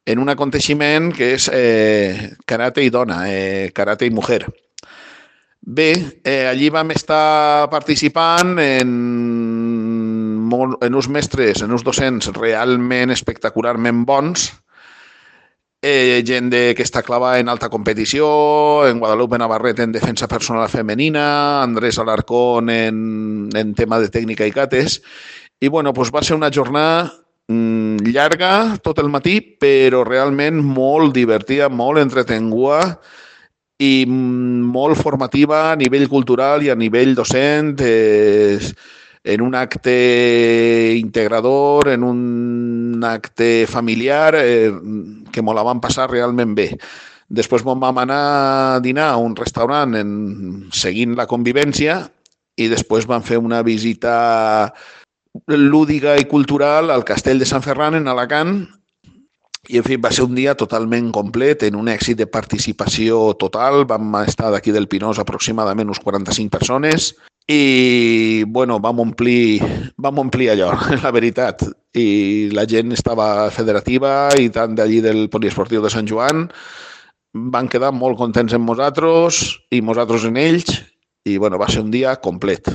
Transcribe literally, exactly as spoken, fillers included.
en un aconteixement que és eh, karate i dona, eh, karate i mujer. Bé, eh, allí vam estar participant en, molt, en uns mestres, en uns docents realment espectacularment bons, eh, gent de, que està clavada en alta competició, en Guadalupe Navarrete en defensa personal femenina, Andrés Alarcón en, en tema de tècnica i cates, i bueno, doncs va ser una jornada mm, llarga tot el matí, però realment molt divertida, molt entretenguda i molt formativa a nivell cultural i a nivell docent, eh, en un acte integrador, en un acte familiar, eh, que me la vam passar realment bé. Després vam anar a dinar a un restaurant en, seguint la convivència i després vam fer una visita lúdica i cultural al Castell de Sant Ferran en Alacant. I, en fi, va ser un dia totalment complet, en un èxit de participació total. Vam estar d'aquí del Pinós aproximadament uns quaranta-cinc persones i, bueno, vam omplir, vam omplir allò, la veritat. I la gent estava federativa i tant d'allí del Poliesportiu de Sant Joan van quedar molt contents amb nosaltres i nosaltres en ells i, bueno, va ser un dia complet.